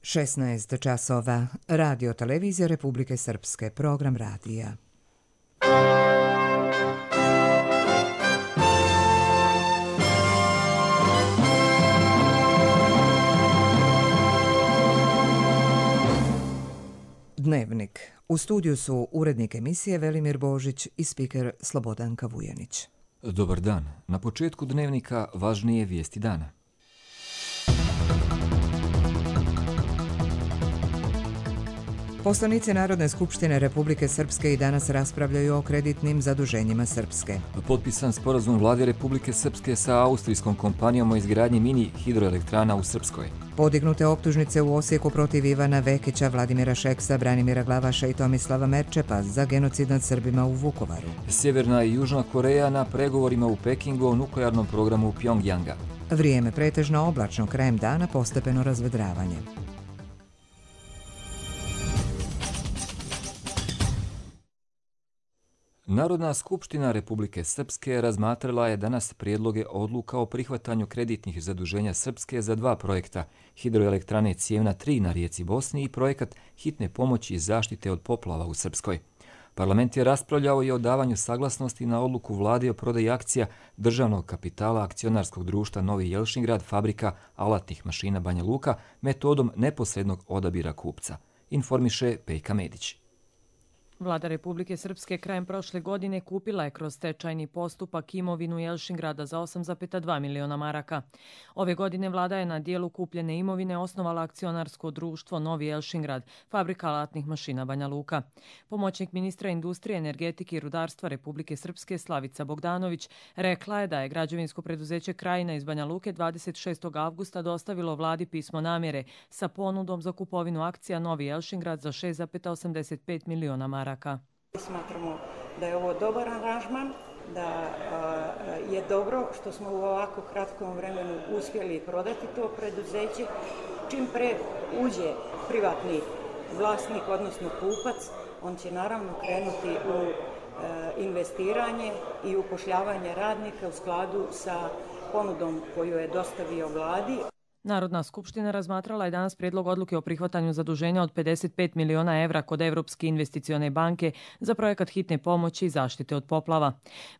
16 časova. Radio Televizija Republike Srpske. Program radija. Dnevnik. U studiju su urednik emisije Velimir Božić i spiker Slobodanka Vujanić. Dobar dan. Na početku dnevnika važnije vijesti dana. Poslanici Narodne skupštine Republike Srpske i danas raspravljaju o kreditnim zaduženjima Srpske. Potpisan sporazum Vlade Republike Srpske sa austrijskom kompanijom o izgradnji mini hidroelektrana u Srpskoj. Podignute optužnice u Osijeku protiv Ivana Vekića, Vladimira Šeksa, Branimira Glavaša i Tomislava Merčepa za genocid nad Srbima u Vukovaru. Sjeverna i Južna Koreja na pregovorima u Pekingu o nuklearnom programu Pjongjanga. Vrijeme pretežno oblačno, krajem dana postepeno razvedravanje. Narodna skupština Republike Srpske razmatrala je danas prijedloge odluka o prihvatanju kreditnih zaduženja Srpske za dva projekta, hidroelektrane Cijevna 3 na rijeci Bosni i projekat hitne pomoći i zaštite od poplava u Srpskoj. Parlament je raspravljao i o davanju saglasnosti na odluku vlade o prodaji akcija državnog kapitala akcionarskog društva Novi Jelšingrad, fabrika alatnih mašina Banja Luka, metodom neposrednog odabira kupca, informiše Pejka Medić. Vlada Republike Srpske krajem prošle godine kupila je kroz stečajni postupak imovinu Jelšingrada za 8,2 miliona maraka. Ove godine vlada je na dijelu kupljene imovine osnovala akcionarsko društvo Novi Jelšingrad, fabrika alatnih mašina Banja Luka. Pomoćnik ministra industrije, energetike i rudarstva Republike Srpske Slavica Bogdanović rekla je da je građevinsko preduzeće Krajina iz Banja Luke 26. avgusta dostavilo vladi pismo namjere sa ponudom za kupovinu akcija Novi Jelšingrad za 6,85 miliona maraka. Smatramo da je ovo dobar aranžman, da je dobro što smo u ovako kratkom vremenu uspjeli prodati to preduzeće. Čim pre uđe privatni vlasnik, odnosno kupac, on će naravno krenuti u investiranje i upošljavanje radnika u skladu sa ponudom koju je dostavio vladi. Narodna skupština razmatrala je danas prijedlog odluke o prihvatanju zaduženja od 55 miliona evra kod Evropske investicione banke za projekat hitne pomoći i zaštite od poplava.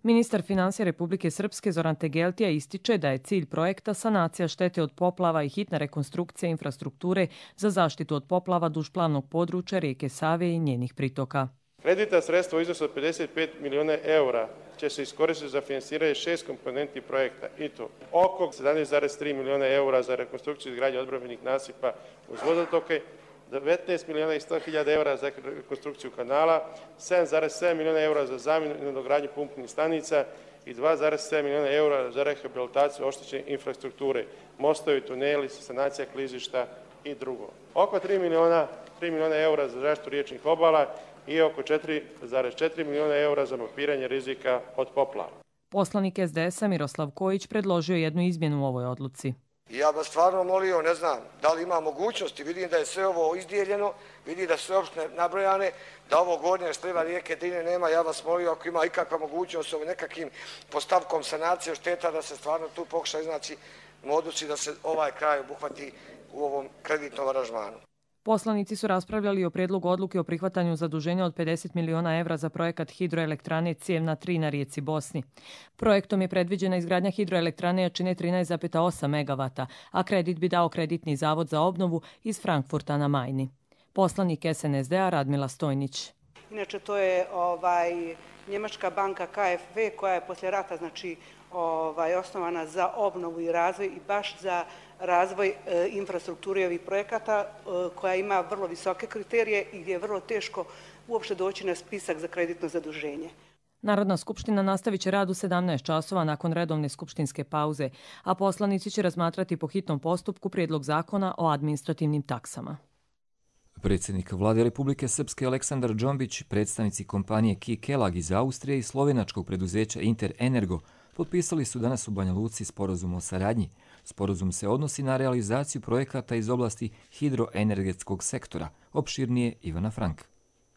Ministar financija Republike Srpske Zoran Tegeltija ističe da je cilj projekta sanacija štete od poplava i hitna rekonstrukcija infrastrukture za zaštitu od poplava duž plavnog područja rijeke Save i njenih pritoka. Kreditna sredstva u iznosu od 55 miliona eura će se iskoristiti za finansiranje 6 komponenti projekta i to oko 17,3 miliona eura za rekonstrukciju i izgradnju odbrambenih nasipa uz vodotoke, 19 miliona i 100 hiljada eura za rekonstrukciju kanala, 7,7 miliona eura za zamjenu i nadogradnju pumpnih stanica i 2,7 miliona eura za rehabilitaciju oštećene infrastrukture, mostovi, tuneli, sanacija klizišta i drugo. Oko 3 miliona eura za zaštitu riječnih obala i oko 4,4 miliona eura za mapiranje rizika od poplava. Poslanik SDS-a Miroslav Kojić predložio jednu izmjenu u ovoj odluci. Ja bih stvarno molio, ne znam, da li ima mogućnosti, vidim da je sve ovo izdijeljeno, vidim da su sve opštine nabrojane, da ovo gornje sliva rijeke Drine nema, ja vas molio ako ima ikakva mogućnost ovim nekakvim postavkom sanacije šteta da se stvarno tu pokuša iznaći modusi da se ovaj kraj obuhvati u ovom kreditnom aranžmanu. Poslanici su raspravljali o prijedlogu odluke o prihvatanju zaduženja od 50 miliona evra za projekat hidroelektrane Cijevna 3 na rijeci Bosni. Projektom je predviđena izgradnja hidroelektrane jačine 13,8 megavata, a kredit bi dao kreditni zavod za obnovu iz Frankfurta na Majni. Poslanik SNSD-a Radmila Stojnić. Inače, to je njemačka banka KfW koja je poslije rata osnovana za obnovu i razvoj i baš za razvoj infrastrukture ovih projekata koja ima vrlo visoke kriterije i gdje je vrlo teško uopšte doći na spisak za kreditno zaduženje. Narodna skupština nastavit će rad u 17 časova nakon redovne skupštinske pauze, a poslanici će razmatrati po hitnom postupku prijedlog zakona o administrativnim taksama. Predsjednik Vlade Republike Srpske Aleksandar Džombić, predstavnici kompanije Ki-Kelag iz Austrije i slovenačkog preduzeća Inter Energo potpisali su danas u Banja Luci sporazum o saradnji. Sporazum se odnosi na realizaciju projekata iz oblasti hidroenergetskog sektora, opširnije Ivana Frank.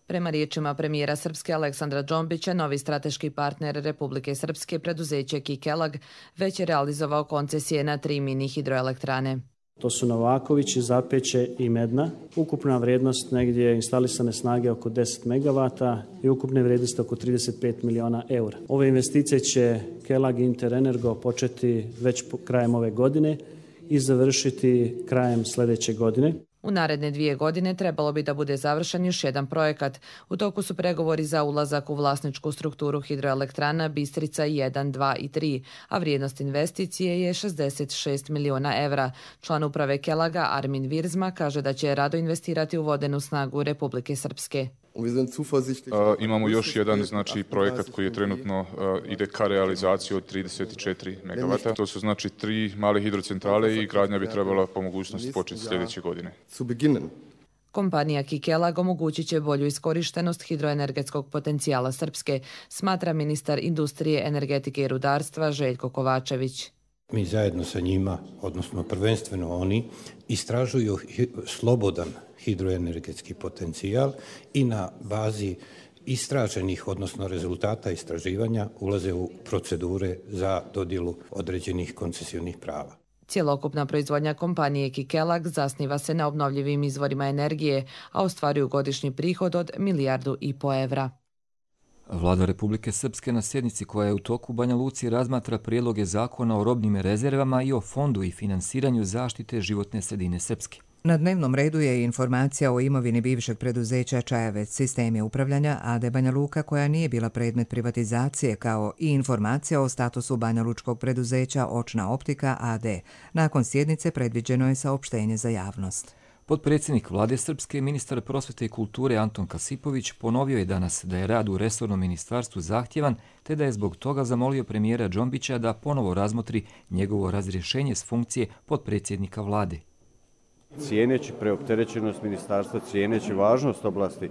Prema riječima premijera Srpske Aleksandra Džombića, novi strateški partner Republike Srpske, preduzeće Ki-Kelag, već je realizovao koncesije na 3 mini hidroelektrane. To su Novaković, Zapeće i Medna. Ukupna vrijednost negdje instalisane snage oko 10 megavata i ukupne vrijednosti oko 35 miliona eura. Ove investicije će Kelag Interenergo početi već krajem ove godine i završiti krajem sljedeće godine. U naredne 2 godine trebalo bi da bude završen još jedan projekat. U toku su pregovori za ulazak u vlasničku strukturu hidroelektrana Bistrica 1, 2 i 3, a vrijednost investicije je 66 miliona evra. Član uprave Kelaga Armin Virzma kaže da će rado investirati u vodenu snagu Republike Srpske. Imamo još jedan projekat koji je trenutno ide ka realizaciji od 34 megavata. To su 3 male hidrocentrale i gradnja bi trebala po mogućnosti početi sljedeće godine. Kompanija Kelag omogućit će bolju iskorištenost hidroenergetskog potencijala Srpske, smatra ministar industrije, energetike i rudarstva Željko Kovačević. Mi zajedno sa njima, odnosno prvenstveno oni, istražuju slobodan hidroenergetski potencijal i na bazi istraženih, odnosno rezultata istraživanja, ulaze u procedure za dodjelu određenih koncesionih prava. Cjelokupna proizvodnja kompanije Kelag zasniva se na obnovljivim izvorima energije, a ostvaruju godišnji prihod od 1,5 milijardu evra. Vlada Republike Srpske na sjednici koja je u toku u Banja Luci razmatra prijedloge zakona o robnim rezervama i o fondu i finansiranju zaštite životne sredine Srpske. Na dnevnom redu je informacija o imovini bivšeg preduzeća Čajavec sistemi upravljanja AD Banja Luka koja nije bila predmet privatizacije, kao i informacija o statusu Banja Lučkog preduzeća Očna optika AD. Nakon sjednice predviđeno je saopštenje za javnost. Potpredsjednik Vlade Srpske, ministar prosvete i kulture Anton Kasipović ponovio je danas da je rad u resornom ministarstvu zahtjevan, te da je zbog toga zamolio premijera Džombića da ponovo razmotri njegovo razrješenje s funkcije potpredsjednika Vlade. Cijeneći preopterećenost ministarstva, cijeneći važnost oblasti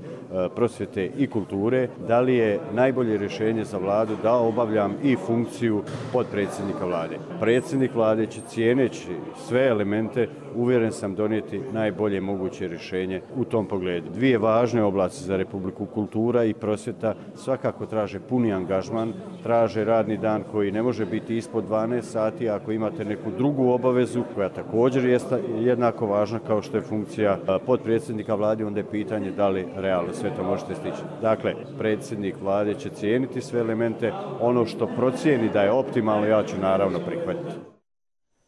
prosvjete i kulture, da li je najbolje rješenje za Vladu da obavljam i funkciju potpredsjednika Vlade. Predsjednik Vlade će cijeneći sve elemente, uvjeren sam, donijeti najbolje moguće rješenje u tom pogledu. 2 važne oblasti za Republiku, kultura i prosvjeta, svakako traže puni angažman, traže radni dan koji ne može biti ispod 12 sati, ako imate neku drugu obavezu koja također je jednako važna kao što je funkcija potpredsjednika Vlade, onda je pitanje da li realno sve to možete stići. Dakle, predsjednik Vlade će cijeniti sve elemente, ono što procijeni da je optimalno, ja ću naravno prihvatiti.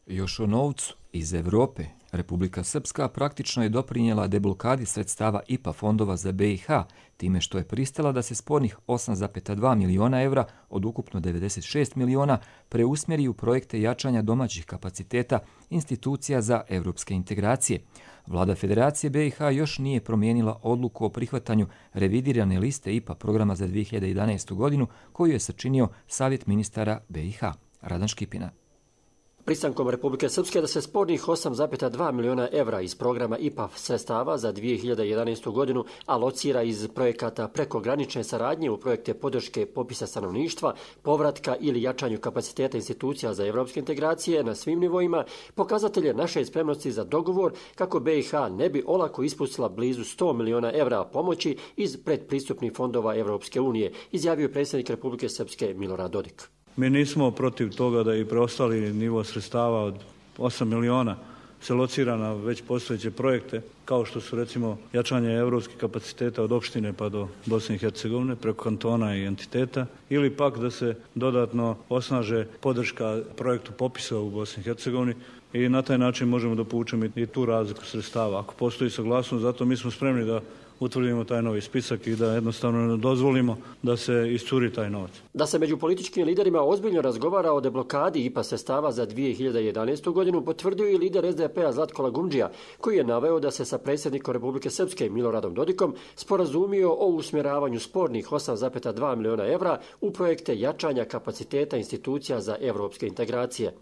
Još o novcu iz Europe. Republika Srpska praktično je doprinijela deblokadi sredstava IPA fondova za BiH, time što je pristala da se spornih 8,2 miliona evra od ukupno 96 miliona preusmjeri u projekte jačanja domaćih kapaciteta institucija za europske integracije. Vlada Federacije BiH još nije promijenila odluku o prihvatanju revidirane liste IPA programa za 2011. godinu koju je sačinio Savjet ministara BiH. Radan Škipina. Pristankom Republike Srpske da se spornih 8,2 miliona evra iz programa IPA sredstava za 2011. godinu alocira iz projekata prekogranične saradnje u projekte podrške popisa stanovništva, povratka ili jačanju kapaciteta institucija za evropske integracije na svim nivoima, pokazatelje naše spremnosti za dogovor kako BiH ne bi olako ispustila blizu 100 miliona evra pomoći iz predpristupnih fondova Evropske unije, izjavio predsjednik Republike Srpske Milorad Dodik. Mi nismo protiv toga da i preostali nivo sredstava od 8 miliona se locira na već postojeće projekte, kao što su recimo jačanje europskih kapaciteta od opštine pa do Bosne i Hercegovine preko kantona i entiteta, ili pak da se dodatno osnaže podrška projektu popisa u Bosni i Hercegovini i na taj način možemo da povučemo i tu razliku sredstava. Ako postoji saglasnost, zato mi smo spremni da utvrdimo taj novi spisak i da jednostavno ne dozvolimo da se iscuri taj novac. Da se među političkim liderima ozbiljno razgovara o deblokadi IPA sredstava za 2011. godinu potvrdio i lider SDP-a Zlatko Lagumdžija, koji je naveo da se sa predsjednikom Republike Srpske Miloradom Dodikom sporazumio o usmjeravanju spornih 8,2 miliona evra u projekte jačanja kapaciteta institucija za evropske integracije.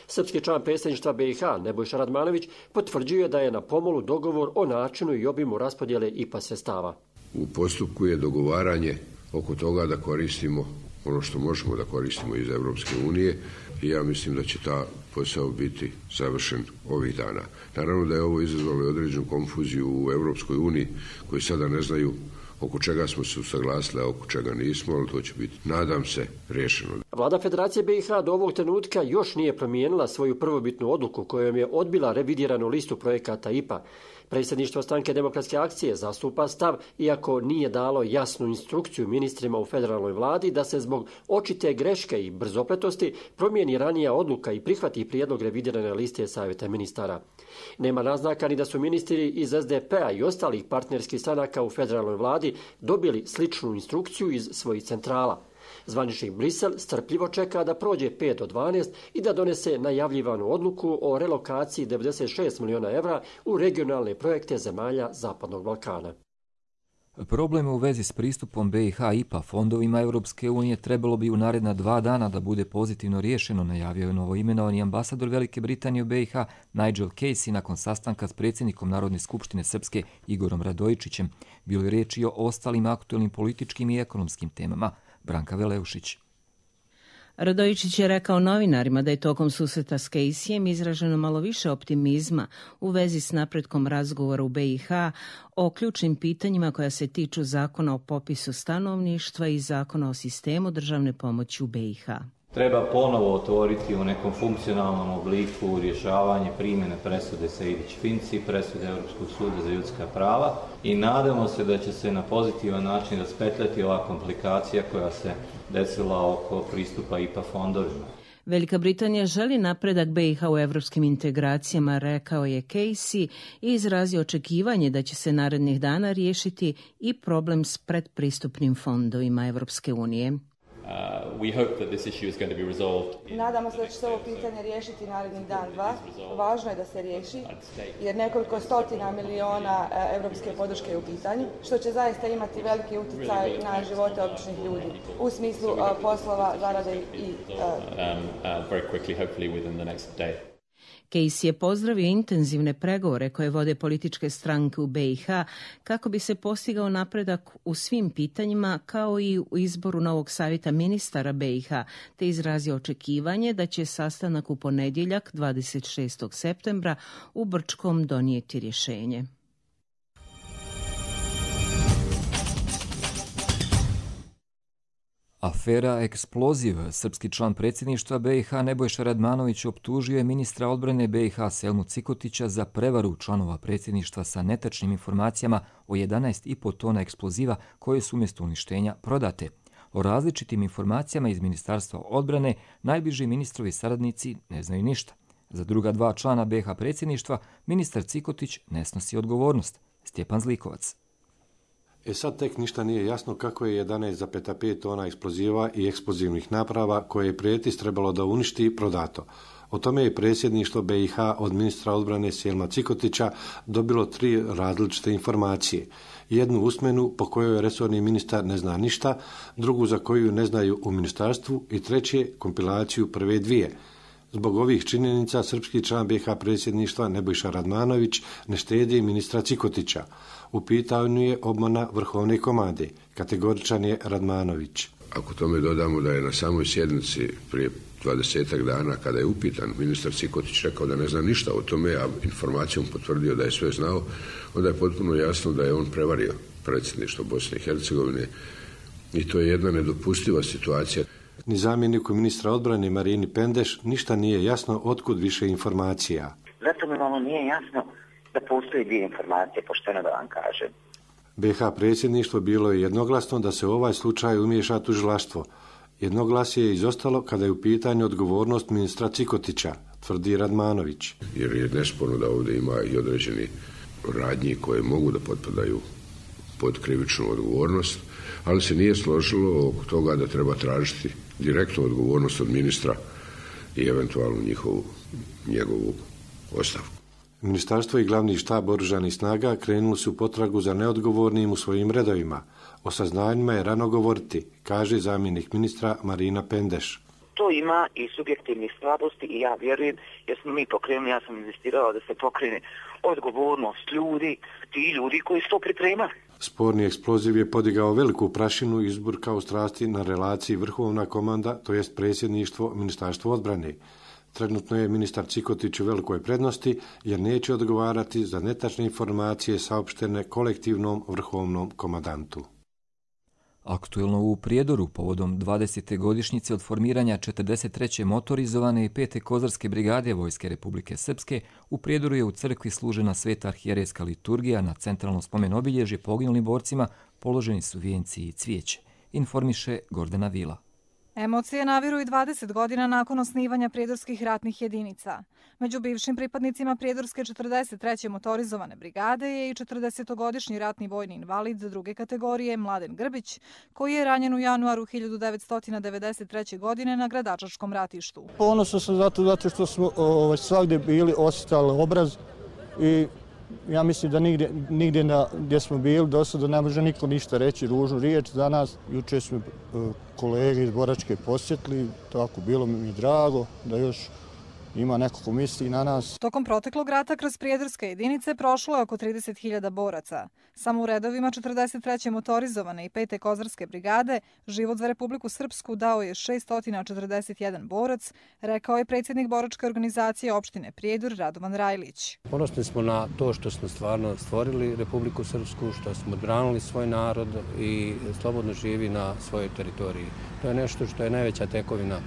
Srpski član predsjedništva BiH Nebojša Radmanović potvrđuje da je na pomolu dogovor o načinu i obimu raspodjele IPA sredstava. U postupku je dogovaranje oko toga da koristimo ono što možemo da koristimo iz Evropske unije i ja mislim da će ta posao biti završen ovih dana. Naravno da je ovo izazvalo određenu konfuziju u Evropskoj uniji koji sada ne znaju oko čega smo se usaglasili, a oko čega nismo, ali to će biti, nadam se, riješeno. Vlada Federacije BiH do ovog trenutka još nije promijenila svoju prvobitnu odluku kojom je odbila revidiranu listu projekata IPA. Predsjedništvo Stranke demokratske akcije zastupa stav, iako nije dalo jasnu instrukciju ministrima u federalnoj vladi da se zbog očite greške i brzopletosti promijeni ranija odluka i prihvati prijedlog revidirane liste savjeta ministara. Nema naznaka ni da su ministri iz SDP-a i ostalih partnerskih stranaka u federalnoj vladi dobili sličnu instrukciju iz svojih centrala. Zvaničnik Brisel strpljivo čeka da prođe 5 do 12 i da donese najavljivanu odluku o relokaciji 96 milijuna evra u regionalne projekte zemalja Zapadnog Balkana. Probleme u vezi s pristupom BiH IPA fondovima Europske unije trebalo bi u naredna 2 dana da bude pozitivno riješeno, najavio je novoimenovani ambasador Velike Britanije u BiH Nigel Casey nakon sastanka s predsjednikom Narodne skupštine Srpske Igorom Radojičićem. Bilo je riječ i o ostalim aktuelnim političkim i ekonomskim temama. Branka Veleušić. Radojičić je rekao novinarima da je tokom susreta s Caseyem izraženo malo više optimizma u vezi s napretkom razgovora u BiH o ključnim pitanjima koja se tiču zakona o popisu stanovništva i zakona o sistemu državne pomoći u BiH. Treba ponovo otvoriti u nekom funkcionalnom obliku rješavanje primjene presude Sejdić-Finci, presude Europskog suda za ljudska prava i nadamo se da će se na pozitivan način raspetljati ova komplikacija koja se desila oko pristupa IPA fondovima. Velika Britanija želi napredak BiH u evropskim integracijama, rekao je Casey i izrazio očekivanje da će se narednih dana riješiti i problem s predpristupnim fondovima Evropske unije. Nadamo se da će se ovo pitanje riješiti narednih dan, 2. Važno je da se riješi jer nekoliko stotina miliona evropske podrške je u pitanju, što će zaista imati veliki utjecaj na živote običnih ljudi u smislu poslova, zarade i Casey je pozdravio intenzivne pregovore koje vode političke stranke u BiH kako bi se postigao napredak u svim pitanjima kao i u izboru novog savjeta ministara BiH, te izrazio očekivanje da će sastanak u ponedjeljak 26. septembra u Brčkom donijeti rješenje. Afera Eksploziv. Srpski član predsjedništva BiH Nebojša Radmanović optužio je ministra odbrane BiH Selmu Cikotića za prevaru članova predsjedništva sa netačnim informacijama o 11,5 tona eksploziva koje su umjesto uništenja prodate. O različitim informacijama iz Ministarstva odbrane najbliži ministrovi saradnici ne znaju ništa. Za druga 2 člana BiH predsjedništva ministar Cikotić ne snosi odgovornost. Stjepan Zlikovac. Sad tek ništa nije jasno kako je 11,5 tona eksploziva i eksplozivnih naprava koje je prijetis trebalo da uništi prodato. O tome je predsjedništvo BiH od ministra odbrane Selma Cikotića dobilo 3 različite informacije. Jednu usmenu po kojoj resorni ministar ne zna ništa, drugu za koju ne znaju u ministarstvu i treće kompilaciju prve 2. Zbog ovih činjenica srpski član BiH predsjedništva Nebojša Radmanović ne štedi ministra Cikotića. U pitanju je obmana vrhovne komande. Kategoričan je Radmanović. Ako tome dodamo da je na samoj sjednici prije 20 dana kada je upitan ministar Cikotić rekao da ne zna ništa o tome, a informacijom potvrdio da je sve znao, onda je potpuno jasno da je on prevario predsjedništvo Bosne i Hercegovine i to je jedna nedopustiva situacija. Ni zamjeniku ministra odbrane Marini Pendeš ništa nije jasno otkud više informacija. Zato mi malo nije jasno da postoji 2 informacije, pošteno da vam kažem. BiH predsjedništvo bilo je jednoglasno da se u ovaj slučaj umiješa tužilaštvo. Jednoglasje je izostalo kada je u pitanju odgovornost ministra Cikotića, tvrdi Radmanović. Jer je nesporno da ovdje ima i određeni radnji koje mogu da potpadaju pod krivičnu odgovornost, ali se nije složilo oko toga da treba tražiti direktnu odgovornost od ministra i eventualno njegovu ostavku. Ministarstvo i glavni štab oružanih snaga krenuli su potragu za neodgovornim u svojim redovima. O saznanjima je rano govoriti, kaže zamjenik ministra Marina Pendeš. To ima i subjektivnih slabosti i ja vjerujem, jer smo mi pokrenuli, ja sam investirala da se pokrene odgovornost ljudi, ti ljudi koji su to pripremali. Sporni eksploziv je podigao veliku prašinu i izburkao strasti na relaciji vrhovna komanda, to jest predsjedništvo Ministarstva odbrane. Trenutno je ministar Cikotić u velikoj prednosti jer neće odgovarati za netačne informacije saopštene kolektivnom vrhovnom komandantu. Aktuelno u Prijedoru povodom 20. godišnjice od formiranja 43. motorizovane i 5. kozarske brigade Vojske Republike Srpske, u Prijedoru je u crkvi služena sveta arhijerejska liturgija, na centralno spomen obilježje poginulim borcima položeni su vijenci i cvijeće, informiše Gordana Vila. Emocije naviru i 20 godina nakon osnivanja prijedorskih ratnih jedinica. Među bivšim pripadnicima prijedorske 43. motorizovane brigade je i 40-godišnji ratni vojni invalid druge kategorije Mladen Grbić, koji je ranjen u januaru 1993. godine na Gradačačkom ratištu. Ponosan sam zato što smo svagdje bili, osjetali obraz i ja mislim da nigdje gdje smo bili do sada ne može niko ništa reći ružnu riječ za nas. Juče smo kolege iz Boračke posjetili, tako bilo mi drago da još ima neko ko misli na nas. Tokom proteklog rata kroz prijedorske jedinice prošlo je oko 30.000 boraca. Samo u redovima 43. motorizovane i 5. kozarske brigade život za Republiku Srpsku dao je 641 borac, rekao je predsjednik boračke organizacije opštine Prijedor Radovan Rajlić. Ponosni smo na to što smo stvarno stvorili Republiku Srpsku, što smo odbranili svoj narod i slobodno živi na svojoj teritoriji. To je nešto što je najveća tekovina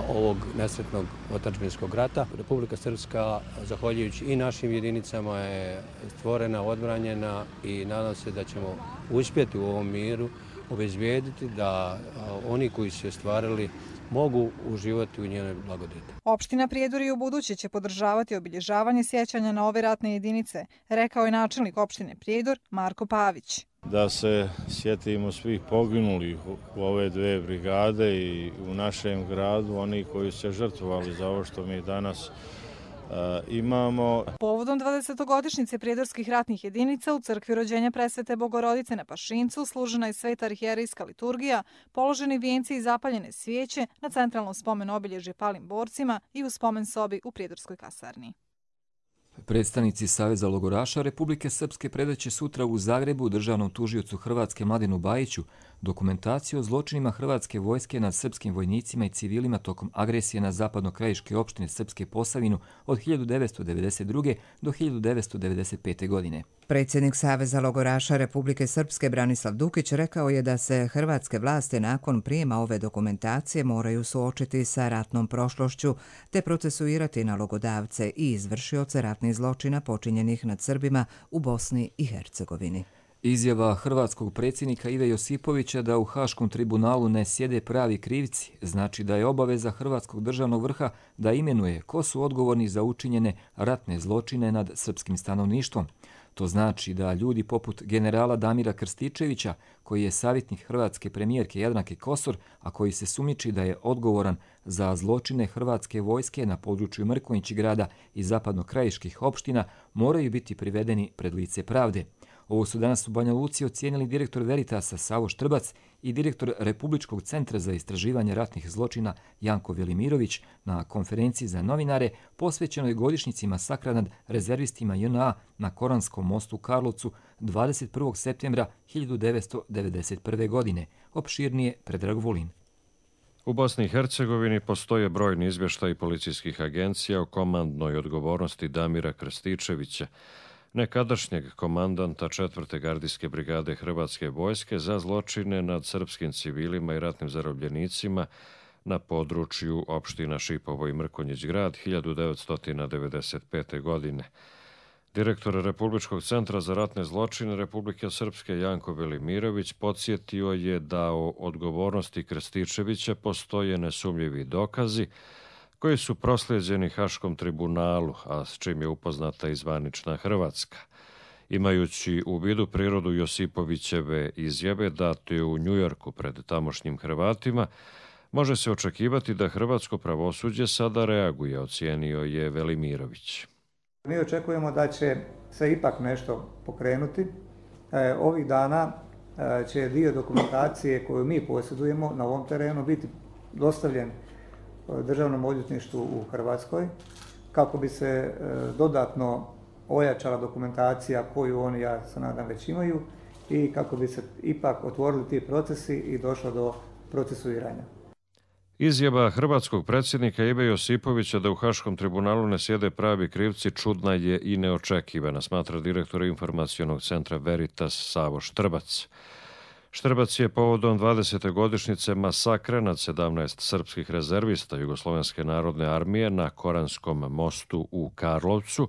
ovog nesretnog otadžbinskog rata. Republika Srpska, zahvaljujući i našim jedinicama, je stvorena, odbranjena i nadam se da ćemo uspjeti u ovom miru obezbijediti da oni koji su je stvarali mogu uživati u njenoj blagodeti. Opština Prijedor i u buduće će podržavati obilježavanje sjećanja na ove ratne jedinice, rekao je načelnik opštine Prijedor Marko Pavić. Da se sjetimo svih poginulih u ove dve brigade i u našem gradu, oni koji su se žrtvovali za ovo što mi danas imamo. Povodom 20-godišnjice prijedorskih ratnih jedinica u crkvi rođenja Presvete Bogorodice na Pašincu služena je sveta arhijerejska liturgija, položeni vijenci i zapaljene svijeće na centralnom spomen obilježje palim borcima i u spomen sobi u Prijedorskoj kasarni. Predstavnici Saveza logoraša Republike Srpske predaće sutra u Zagrebu državnom tužiocu Hrvatske Mladenu Bajiću dokumentaciju o zločinima Hrvatske vojske nad srpskim vojnicima i civilima tokom agresije na zapadno-krajiške opštine Srpske Posavinu od 1992. do 1995. godine. Predsjednik Saveza logoraša Republike Srpske Branislav Dukić rekao je da se hrvatske vlasti nakon prijema ove dokumentacije moraju suočiti sa ratnom prošlošću te procesuirati nalogodavce i izvršioce ratnih zločina počinjenih nad Srbima u Bosni i Hercegovini. Izjava hrvatskog predsjednika Ive Josipovića da u Haškom tribunalu ne sjede pravi krivci znači da je obaveza hrvatskog državnog vrha da imenuje ko su odgovorni za učinjene ratne zločine nad srpskim stanovništvom. To znači da ljudi poput generala Damira Krstičevića, koji je savjetnik hrvatske premijerke Jadranke Kosor, a koji se sumnjiči da je odgovoran za zločine hrvatske vojske na području Mrkonjić-grada i zapadno-krajiških opština, moraju biti privedeni pred lice pravde. Ovo su danas u Banja Luci ocijenili direktor Veritasa Savo Štrbac i direktor Republičkog centra za istraživanje ratnih zločina Janko Velimirović na konferenciji za novinare posvećenoj godišnjici masakra nad rezervistima JNA na Koranskom mostu u Karlovcu 21. septembra 1991. godine. Opširnije Predrag Vulin. U Bosni i Hercegovini postoje brojni izvještaji policijskih agencija o komandnoj odgovornosti Damira Krstičevića, nekadašnjeg komandanta 4. gardijske brigade Hrvatske vojske za zločine nad srpskim civilima i ratnim zarobljenicima na području opština Šipovo i Mrkonjić-grad 1995. godine. Direktor Republičkog centra za ratne zločine Republike Srpske Janko Velimirović podsjetio je da o odgovornosti Krstičevića postoje nesumljivi dokazi koji su proslijeđeni Haškom tribunalu, a s čim je upoznata i zvanična Hrvatska. Imajući u vidu prirodu Josipovićeve izjave date u Njujorku pred tamošnjim Hrvatima, može se očekivati da hrvatsko pravosuđe sada reaguje, ocijenio je Velimirović. Mi očekujemo da će se ipak nešto pokrenuti. Ovih dana će dio dokumentacije koju mi posjedujemo na ovom terenu biti dostavljen Državnom odvjetništvu u Hrvatskoj kako bi se dodatno ojačala dokumentacija koju oni, ja se nadam, već imaju i kako bi se ipak otvorili ti procesi i došlo do procesuiranja. Izjava hrvatskog predsjednika Ive Josipovića da u Haškom tribunalu ne sjede pravi krivci čudna je i neočekivana, smatra direktor informacionog centra Veritas Savo Štrbac. Štrbac je povodom 20. godišnjice masakra nad 17 srpskih rezervista Jugoslovenske narodne armije na Koranskom mostu u Karlovcu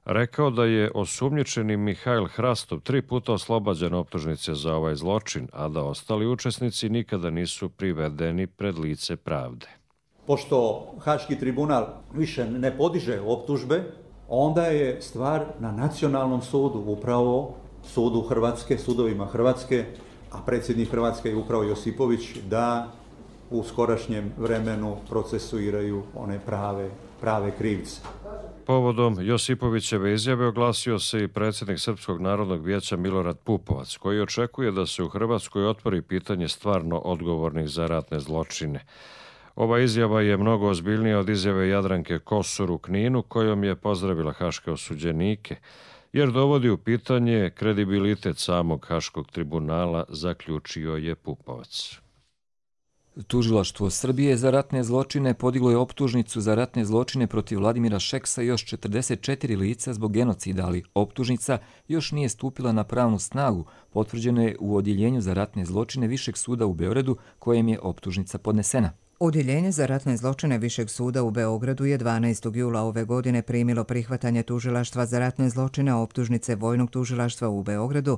rekao da je osumnjičeni Mihajl Hrastov 3 puta oslobađan optužnice za ovaj zločin, a da ostali učesnici nikada nisu privedeni pred lice pravde. Pošto Haški tribunal više ne podiže optužbe, onda je stvar na nacionalnom sudu, upravo sudu Hrvatske, sudovima Hrvatske, a predsjednik Hrvatske je upravo Josipović, da u skorašnjem vremenu procesuiraju one prave krivce. Povodom Josipovićeve izjave oglasio se i predsjednik Srpskog narodnog vijeća Milorad Pupovac, koji očekuje da se u Hrvatskoj otvori pitanje stvarno odgovornih za ratne zločine. Ova izjava je mnogo ozbiljnija od izjave Jadranke Kosor u Kninu, kojom je pozdravila haške osuđenike, jer dovodi u pitanje kredibilitet samog Haškog tribunala, zaključio je Pupovac. Tužilaštvo Srbije za ratne zločine podiglo je optužnicu za ratne zločine protiv Vladimira Šeksa i još 44 lica zbog genocida, ali optužnica još nije stupila na pravnu snagu, potvrđeno je u Odjeljenju za ratne zločine Višeg suda u Beogradu, kojem je optužnica podnesena. Odjeljenje za ratne zločine Višeg suda u Beogradu je 12. jula ove godine primilo prihvatanje tužilaštva za ratne zločine optužnice Vojnog tužilaštva u Beogradu,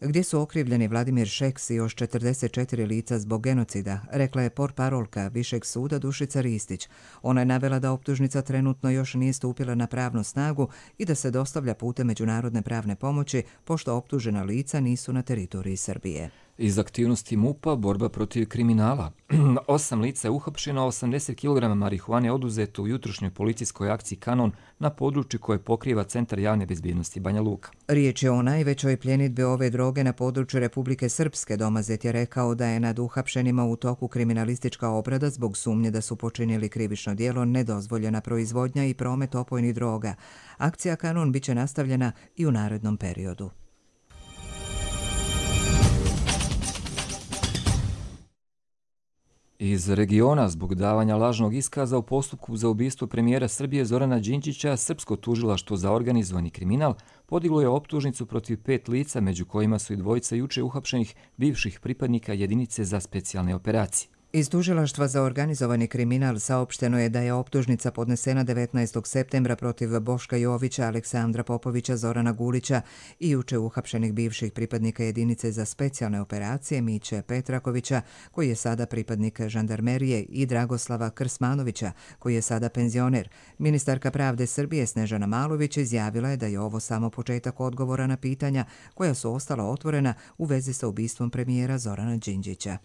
gdje su okrivljeni Vladimir Šeks i još 44 lica zbog genocida, rekla je portparolka Višeg suda Dušica Ristić. Ona je navela da optužnica trenutno još nije stupila na pravnu snagu i da se dostavlja putem međunarodne pravne pomoći, pošto optužena lica nisu na teritoriji Srbije. Iz aktivnosti MUP-a borba protiv kriminala. 8 lica je uhapšeno, 80 kg marihuane oduzeto u jutrošnjoj policijskoj akciji Kanon na području koje pokriva Centar javne bezbjednosti Banja Luka. Riječ je o najvećoj pljenidbi ove droge na području Republike Srpske. Domazet je rekao da je nad uhapšenima u toku kriminalistička obrada zbog sumnje da su počinili krivično djelo nedozvoljena proizvodnja i promet opojnih droga. Akcija Kanon biće nastavljena i u narednom periodu. Iz regiona, zbog davanja lažnog iskaza u postupku za ubistvo premijera Srbije Zorana Đinđića, Srpsko tužilaštvo za organizovani kriminal podiglo je optužnicu protiv 5 lica, među kojima su i dvojica juče uhapšenih bivših pripadnika jedinice za specijalne operacije. Iz tužilaštva za organizovani kriminal saopšteno je da je optužnica podnesena 19. septembra protiv Boška Jovića, Aleksandra Popovića, Zorana Gulića i juče uhapšenih bivših pripadnika jedinice za specijalne operacije Miće Petrakovića, koji je sada pripadnik žandarmerije, i Dragoslava Krsmanovića, koji je sada penzioner. Ministarka pravde Srbije Snežana Malović izjavila je da je ovo samo početak odgovora na pitanja koja su ostala otvorena u vezi sa ubistvom premijera Zorana Đinđića.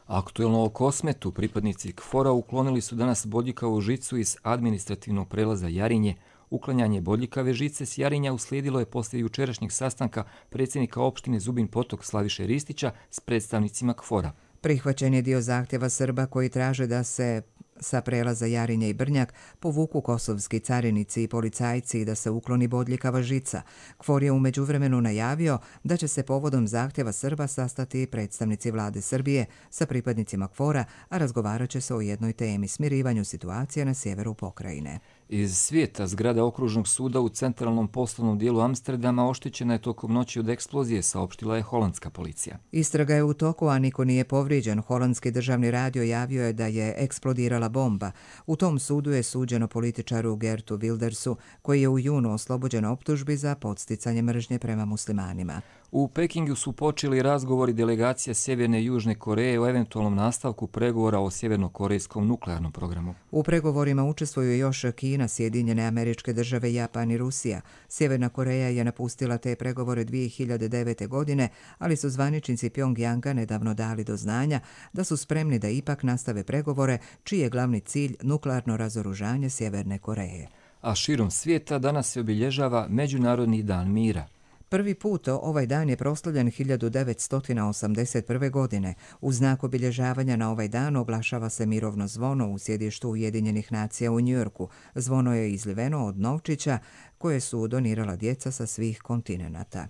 Aktuelno o Kosmetu pripadnici KFOR-a uklonili su danas bodljikavu žicu iz administrativnog prelaza Jarinje. Uklanjanje bodljikave žice s Jarinja uslijedilo je poslije jučerašnjeg sastanka predsjednika opštine Zubin Potok Slaviše Ristića s predstavnicima KFOR-a. Prihvaćen je dio zahtjeva Srba koji traže da se sa prelaza Jarinje i Brnjak povuku kosovski carinici i policajci i da se ukloni bodljikava žica. KFOR je u međuvremenu najavio da će se povodom zahtjeva Srba sastati predstavnici vlade Srbije sa pripadnicima KFOR-a, a razgovarat će se o jednoj temi: smirivanju situacije na sjeveru pokrajine. Iz svijeta, zgrada okružnog suda u centralnom poslovnom dijelu Amsterdama oštećena je tokom noći od eksplozije, saopštila je holandska policija. Istraga je u toku, a niko nije povrijeđen. Holandski državni radio javio je da je eksplodirala bomba. U tom sudu je suđeno političaru Gertu Wildersu, koji je u junu oslobođen optužbi za podsticanje mržnje prema muslimanima. U Pekingu su počeli razgovori delegacija Sjeverne i Južne Koreje o eventualnom nastavku pregovora o sjevernokorejskom nuklearnom programu. U pregovorima učestvuju još Kina, Sjedinjene Američke Države, Japan i Rusija. Sjeverna Koreja je napustila te pregovore 2009. godine, ali su zvaničnici Pjongjanga nedavno dali do znanja da su spremni da ipak nastave pregovore, čiji je glavni cilj nuklearno razoružanje Sjeverne Koreje. A širom svijeta danas se obilježava Međunarodni dan mira. Prvi put ovaj dan je proslavljen 1981. godine. U znak obilježavanja na ovaj dan oglašava se mirovno zvono u sjedištu Ujedinjenih nacija u Njujorku. Zvono je izliveno od novčića koje su donirala djeca sa svih kontinenata.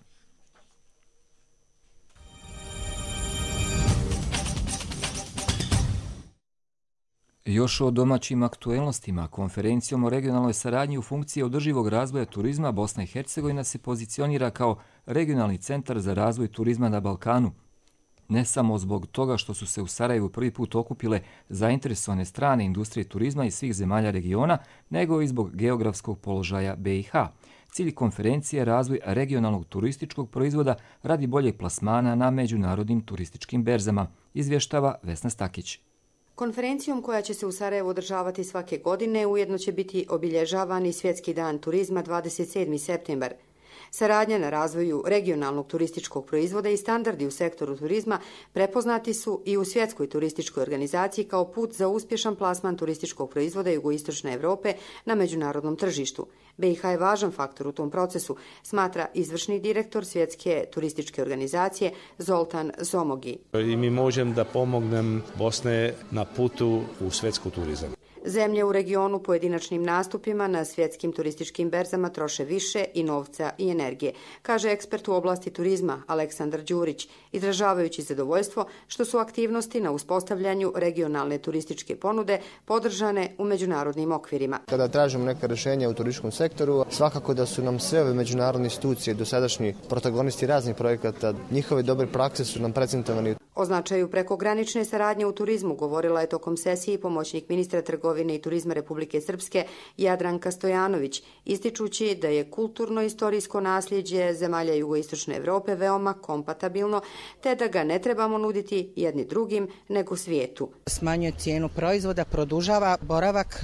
Još o domaćim aktuelnostima. Konferencijom o regionalnoj saradnji u funkciji održivog razvoja turizma Bosna i Hercegovina se pozicionira kao regionalni centar za razvoj turizma na Balkanu. ne samo zbog toga što su se u Sarajevu prvi put okupile zainteresovane strane industrije turizma iz svih zemalja regiona, nego i zbog geografskog položaja BiH. Cilj konferencije je razvoj regionalnog turističkog proizvoda radi boljeg plasmana na međunarodnim turističkim berzama, izvještava Vesna Stakić. Konferencijom koja će se u Sarajevu održavati svake godine ujedno će biti obilježavan i Svjetski dan turizma 27. septembar. Saradnja na razvoju regionalnog turističkog proizvoda i standardi u sektoru turizma prepoznati su i u Svjetskoj turističkoj organizaciji kao put za uspješan plasman turističkog proizvoda jugoistočne Europe na međunarodnom tržištu. BiH je važan faktor u tom procesu, smatra izvršni direktor Svjetske turističke organizacije Zoltan Zomogi. I mi možemo da pomognem Bosne na putu u svjetski turizam. Zemlje u regionu pojedinačnim nastupima na svjetskim turističkim berzama troše više i novca i energije, kaže ekspert u oblasti turizma Aleksandar Đurić, izražavajući zadovoljstvo što su aktivnosti na uspostavljanju regionalne turističke ponude podržane u međunarodnim okvirima. Kada tražimo neka rješenja u turističkom sektoru, svakako da su nam sve ove međunarodne institucije, dosadašnji protagonisti raznih projekata, njihove dobre prakse su nam prezentovani. O značaju prekogranične saradnje u turizmu govorila je tokom sesije pomoćnik ministra trgovine i turizma Republike Srpske Jadranka Stojanović, ističući da je kulturno-istorijsko nasljeđe zemalja jugoistočne Europe veoma kompatibilno, te da ga ne trebamo nuditi jedni drugim nego svijetu. Smanjuje cijenu proizvoda, produžava boravak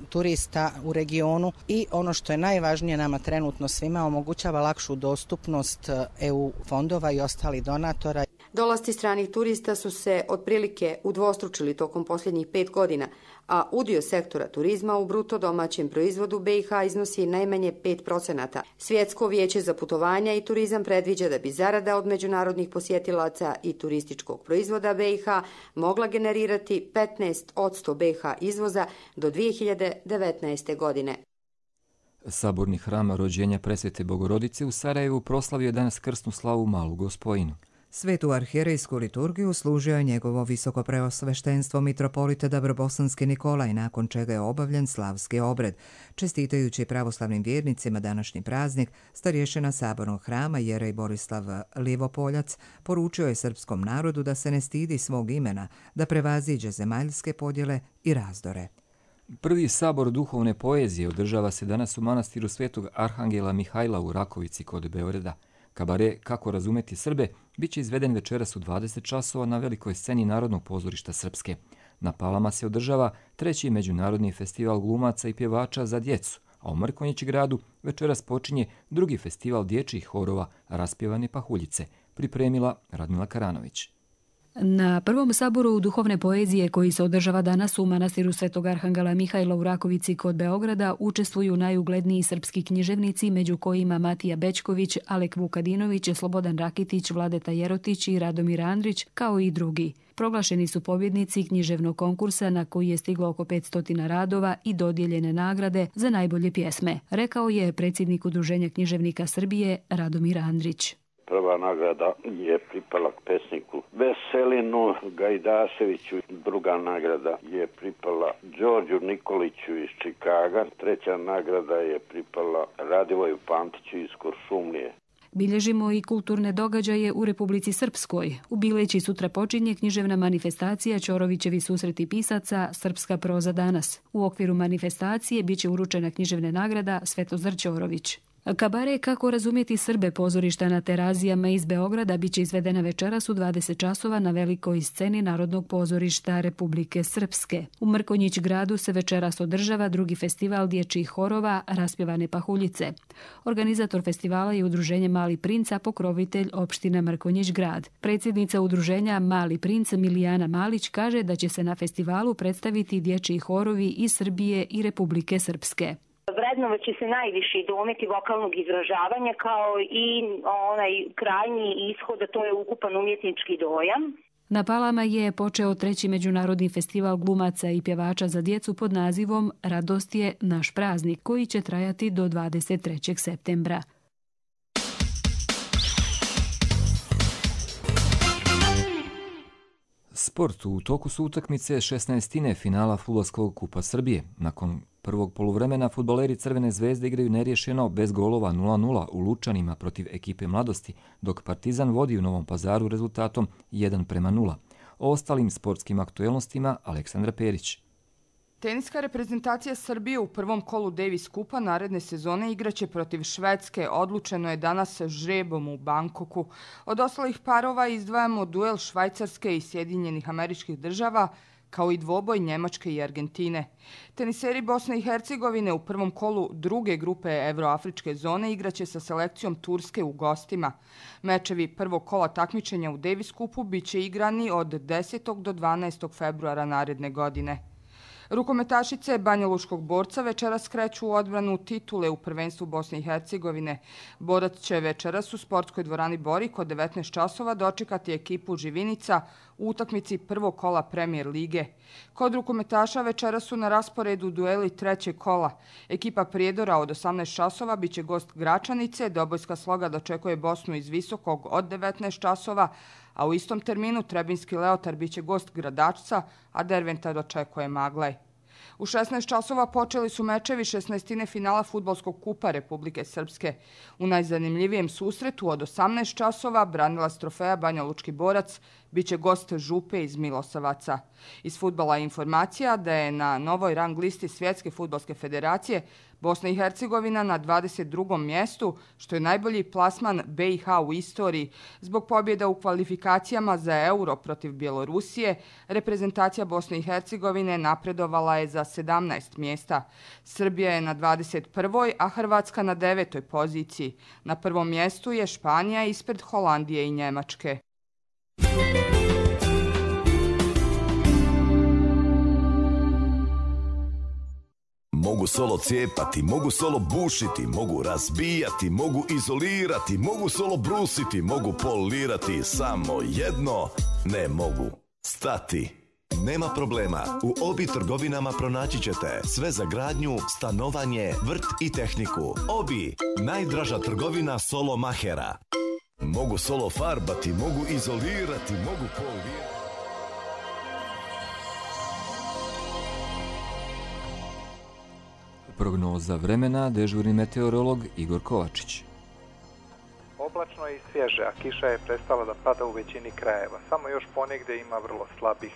turista u regionu i ono što je najvažnije nama trenutno svima omogućava lakšu dostupnost EU fondova i ostalih donatora. Dolasci stranih turista su se otprilike udvostručili tokom posljednjih 5 godina, a udio sektora turizma u bruto domaćem proizvodu BiH iznosi najmanje 5%. Svjetsko vijeće za putovanja i turizam predviđa da bi zarada od međunarodnih posjetilaca i turističkog proizvoda BiH mogla generirati 15% BiH izvoza do 2019. godine. Saborni hram rođenja Presvete Bogorodice u Sarajevu proslavio je danas krsnu slavu Malu Gospojinu. Svetu arhijerejsku liturgiju služio je njegovo visokopreosveštenstvo mitropolita Dabrobosanski Nikolaj, nakon čega je obavljen slavski obred. Čestitajući pravoslavnim vjernicima današnji praznik, starješina Sabornog hrama jerej Borislav Livopoljac poručio je srpskom narodu da se ne stidi svog imena, da prevaziđe zemaljske podjele i razdore. Prvi sabor duhovne poezije održava se danas u manastiru Svetog Arhangela Mihajla u Rakovici kod Beograda. Kabare Kako razumeti Srbe bit će izveden večeras u 20 časova na velikoj sceni Narodnog pozorišta Srpske. Na Palama se održava 3. međunarodni festival glumaca i pjevača za djecu, a u Mrkonjić-gradu večeras počinje 2. festival dječjih horova Raspjevane pahuljice, pripremila Radmila Karanović. Na prvom saboru duhovne poezije koji se održava danas u manastiru Svetog Arhangela Mihajla u Rakovici kod Beograda učestvuju najugledniji srpski književnici, među kojima Matija Bećković, Alek Vukadinović, Slobodan Rakitić, Vladeta Jerotić i Radomir Andrić, kao i drugi. Proglašeni su pobjednici književnog konkursa na koji je stiglo oko 500 radova i dodijeljene nagrade za najbolje pjesme, rekao je predsjednik Udruženja književnika Srbije Radomir Andrić. Prva nagrada je pripala pesniku Veselinu Gajdaševiću, druga nagrada je pripala Đorđu Nikoliću iz Čikaga, treća nagrada je pripala Radivoju Pantiću iz Kuršumlije. Bilježimo i kulturne događaje u Republici Srpskoj. U Bileći sutra počinje književna manifestacija Ćorovićevi susreti pisaca Srpska proza danas. U okviru manifestacije biće uručena književna nagrada Svetozar Ćorović. Kabare Kako razumjeti Srbe pozorišta na Terazijama iz Beograda biće izvedena večeras u 20 časova na velikoj sceni Narodnog pozorišta Republike Srpske. U Mrkonjić-gradu se večeras održava 2. festival dječjih horova Raspjevane pahuljice. Organizator festivala je Udruženje Mali princ, a pokrovitelj opština Mrkonjić-grad. Predsjednica Udruženja Mali princ Milijana Malić kaže da će se na festivalu predstaviti dječji horovi iz Srbije i Republike Srpske. Vrednovat će se najviši dometi vokalnog izražavanja kao i onaj krajnji ishod, a to je ukupan umjetnički dojam. Na Palama je počeo 3. međunarodni festival glumaca i pjevača za djecu pod nazivom Radost je naš praznik, koji će trajati do 23. septembra. Sport. U toku su utakmice 16. finala Fudbalskog kupa Srbije. Nakon prvog poluvremena fudbaleri Crvene zvezde igraju neriješeno bez golova 0-0 u Lučanima protiv ekipe Mladosti, dok Partizan vodi u Novom Pazaru rezultatom 1-0. O ostalim sportskim aktuelnostima Aleksandra Perić. Teniska reprezentacija Srbije u prvom kolu Davis Kupa naredne sezone igraće protiv Švedske. Odlučeno je danas žrebom u Bangkoku. Od ostalih parova izdvajamo duel Švajcarske i Sjedinjenih Američkih Država, kao i dvoboj Njemačke i Argentine. Teniseri Bosne i Hercegovine u prvom kolu druge grupe Evroafričke zone igraće sa selekcijom Turske u gostima. Mečevi prvog kola takmičenja u Davis Kupu biće igrani od 10. do 12. februara naredne godine. Rukometašice Banjalučkog Borca večeras kreću u odbranu titule u prvenstvu Bosne i Hercegovine. Borac će večeras u sportskoj dvorani Borik od 19 časova dočekati ekipu Živinica u utakmici prvog kola Premier lige. Kod rukometaša večeras su na rasporedu dueli trećeg kola. Ekipa Prijedora od 18 časova biće gost Gračanice, Dobojska Sloga dočekuje Bosnu iz Visokog od 19 časova, a u istom terminu Trebinski Leotar biće gost Gradačca, a Derventa dočekuje Maglaj. U 16 časova počeli su mečevi 16. finala Fudbalskog kupa Republike Srpske. U najzanimljivijem susretu od 18 časova branilac trofeja Banjalučki Borac biće gost Župe iz Milosavaca. Iz fudbala je informacija da je na novoj rang listi Svjetske fudbalske federacije Bosna i Hercegovina na 22. mjestu, što je najbolji plasman BiH u istoriji. Zbog pobjeda u kvalifikacijama za Euro protiv Bjelorusije, reprezentacija Bosne i Hercegovine napredovala je za 17 mjesta. Srbija je na 21. a Hrvatska na 9. poziciji. Na prvom mjestu je Španija ispred Holandije i Njemačke. Mogu solo cijepati, mogu solo bušiti, mogu razbijati, mogu izolirati, mogu solo brusiti, mogu polirati, samo jedno ne mogu stati. Nema problema, u Obi trgovinama pronaći ćete sve za gradnju, stanovanje, vrt i tehniku. Obi, najdraža trgovina solo mahera. Mogu solo farbati, mogu izolirati, mogu polirati. Prognoza vremena, dežurni meteorolog Igor Kovačić. Oblačno i svježe, a kiša je prestala da pada u većini krajeva. Samo još ponegdje ima vrlo slabih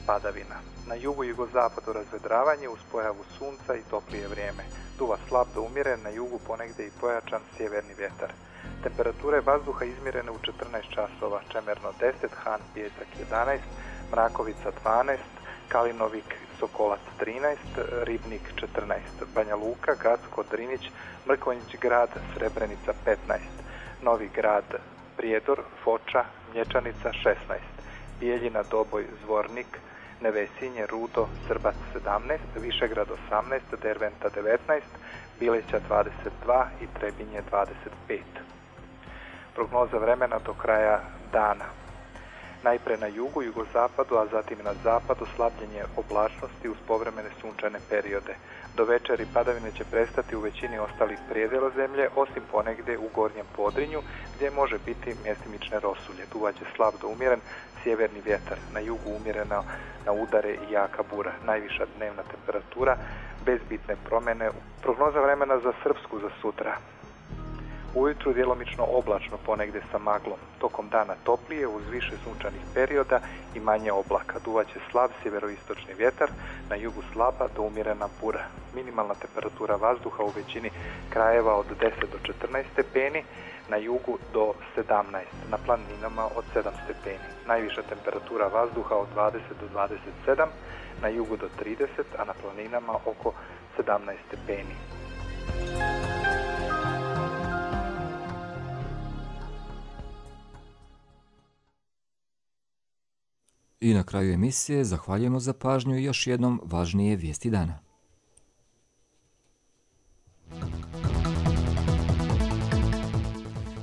padavina. Na jugu i jugozapadu razvedravanje uz pojavu sunca i toplije vrijeme. Duva slab do umjeren, na jugu ponegdje i pojačan sjeverni vjetar. Temperature vazduha izmjerene u 14 časova, Čemerno 10, Han Pijesak 11, Mrakovica 12, Kalinovik Sokolac 13, Ribnik 14, Banja Luka, Gacko, Drinić, Mrkonjić grad, Srebrenica 15, Novi grad, Prijedor, Foča, Mlječanica 16, Bijeljina, Doboj, Zvornik, Nevesinje, Rudo, Srbac 17, Višegrad 18, Derventa 19, Bileća 22 i Trebinje 25. Prognoza vremena do kraja dana. Najpre na jugu, jugozapadu, a zatim na zapadu slabljenje oblačnosti uz povremene sunčane periode. Do večeri padavine će prestati u većini ostalih prijedela zemlje, osim ponegdje u gornjem Podrinju, gdje može biti mjestimične rosulje. Duvaće slab do umjeren sjeverni vjetar, na jugu umjerena na udare i jaka bura. Najviša dnevna temperatura bez bitne promjene. Prognoza vremena za Srpsku za sutra. Ujutru djelomično oblačno, ponegdje sa maglom. Tokom dana toplije uz više sunčanih perioda i manje oblaka. Duvaće slab sjeveroistočni vjetar, na jugu slaba do umjerena bura. Minimalna temperatura vazduha u većini krajeva od 10 do 14 stepeni, na jugu do 17, na planinama od 7 stepeni. Najviša temperatura vazduha od 20 do 27, na jugu do 30, a na planinama oko 17 stepeni. I na kraju emisije zahvaljujemo za pažnju i još jednom važnije vijesti dana.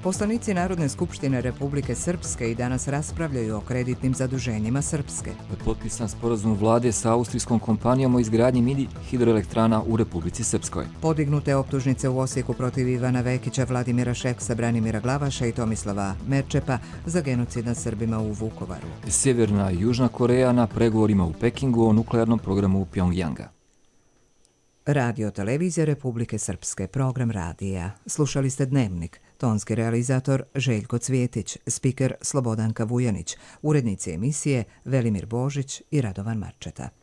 Poslanici Narodne skupštine Republike Srpske i danas raspravljaju o kreditnim zaduženjima Srpske. Potpisan sporazum vlade sa austrijskom kompanijom o izgradnji mini hidroelektrana u Republici Srpskoj. Podignute optužnice u Osijeku protiv Ivana Vekića, Vladimira Šeksa, Branimira Glavaša i Tomislava Merčepa za genocid nad Srbima u Vukovaru. Sjeverna i Južna Koreja na pregovorima u Pekingu o nuklearnom programu Pjongjanga. Radio Televizija Republike Srpske, program radija. Slušali ste Dnevnik, tonski realizator Željko Cvjetić, spiker Slobodanka Vujanić, urednici emisije Velimir Božić i Radovan Marčeta.